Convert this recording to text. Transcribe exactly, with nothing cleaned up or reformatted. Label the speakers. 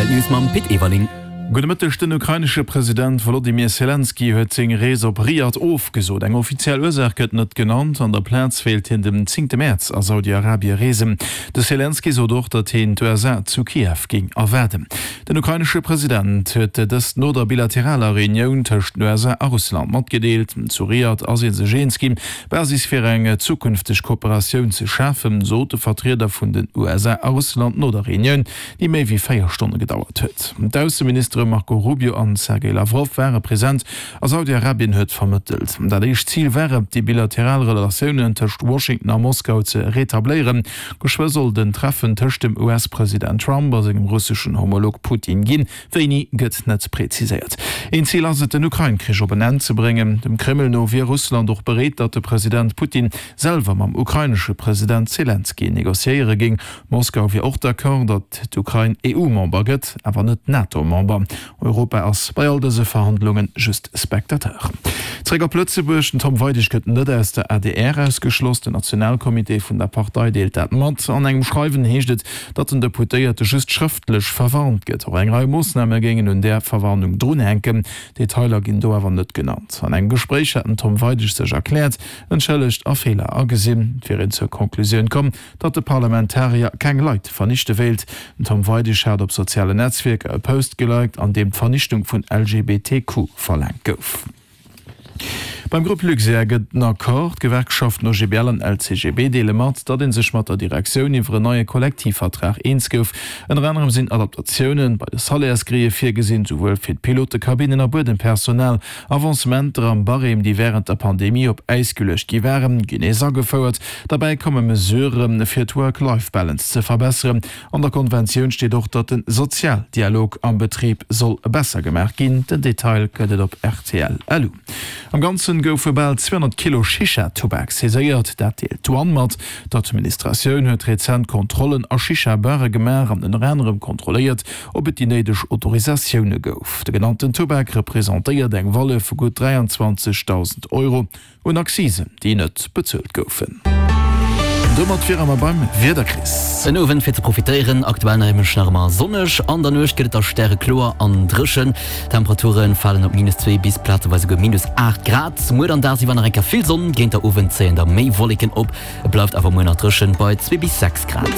Speaker 1: R T L News mam Pit Everling.
Speaker 2: Gudde Mëtteg, Den ukrainesche President Wolodymyr Selenskyj huet seng Rees op Riad ofgesot. Eng offiziell Ursaach gëtt net genannt. An der Plaz wéilt hien den zéngte Mäerz a Saudi-Arabie reesen. De Selenskyj sot och, datt hien d'U S A zu Kiew géing erwaarden. Den ukrainesche President huet dëst no der bilateraler Reunioun tëscht den U S A a Russland matgedeelt. Zu Riad ass ee sech eens ginn, d'Basis fir eng zukünfteg Kooperatioun ze schafen, sot de Vertrieder vun den U S A a Russland no der Reunioun, déi méi wéi véier Stonne gedauert huet. D'Ausseministere Marco Rubio an Sergei Lavrov ware present a Saudi-Arabien huet vermëttelt. Dat éischt Zil wär et, déi bilateral Relatiounen tëscht Washington a Moskau ze retabléieren. Geschwë soll et en Treffen tëscht dem U S-President Trump a sengem russeschen Homolog Putin ginn, wéini gëtt net präziséiert. Een Zil ass et, den Ukrain-Krich op en Enn ze bréngen. Dem Kreml no wier Russland och bereet, datt de President Putin selwer mam ukrainesche President Selenskyj negociéiere géing. Moskau wier och d'accord, datt d'Ukrain E U-Member gëtt, awer net NATO-Member. Europa ass bei all dëse Verhandlunge just Spectateur. Zréck op Lëtzebuerg, Den Tom Weidig gëtt net aus der A D R ausgeschloss. Den Nationalcomité vun der Partei deelt dat mat. An engem Schreiwen heescht et, datt den Deputéierte just schrëftlech verwarnt gëtt. Och eng Rei Moossname géingen un där Verwarnung drunhänken. Detailer ginn do awer net genannt. An engem Gespréich hätt den Tom Weidig sech erkläert, entschëllegt a Feeler agesinn. Et wier een zur Conclusioun komm, datt de Parlamentarier keng Leit vernichte wéilt. Den Tom Weidig hat op sozialen Netzwierker e Post geliked, an deem d'Vernichtung vun L G B T Q verlaangt gouf. Beim Grupp Luxair gëtt en Accord. D'Gewerkschaften O G B L an L C G B deele mat, datt ee sech mat der Direktioun iwwer en neie Kollektivvertrag eens gouf. Ënner anerem sinn Adaptatioune bei de Salairsgrille virgesinn, souwuel fir d'Pilotekabinnen a Buedempersonal. Avancementer am Barème, déi wärend der Pandemie op Äis geluecht gi waren, ginn nees agefouert. Derbäi komme Mesurë fir d'Work-Life-Balance ze verbesseren. An der Konventioun steet och, datt de Sozialdialog am Betrib soll besser gemaach ginn. Den Detail gëtt et op R T L punkt L U. Am Ganze goufe bal zweehonnert Kilo Shisha-Tubak saiséiert, dat deelt d'Douane mat. D'Administratioun huet rezent Kontrollen a Shisha-Bare gemaach an ënner anerem kontrolléiert, ob et déi néideg Autorisatioune gouf. De genannten Tubak representéiert eng Valeur vu gutt dräianzwanzegdausend Euro un Accisen, déi net bezuelt goufen. Domat wiere mer beim Wieder, Chris.
Speaker 1: En Owend fir ze profitéieren, aktuell nämlech nach ëmmer sonneg. An der Nuecht gëtt et da stärekloer an dréchen. D'Temperature falen op minus zwee bis plazeweis esouguer minus aacht Grad. Muer dann dagsiwwer nach eng Kéier vill Sonn, géint der Owend zéien da méi Wolleken op. Et bleift awer muer nach dréchen bei zwee bis sechs Grad.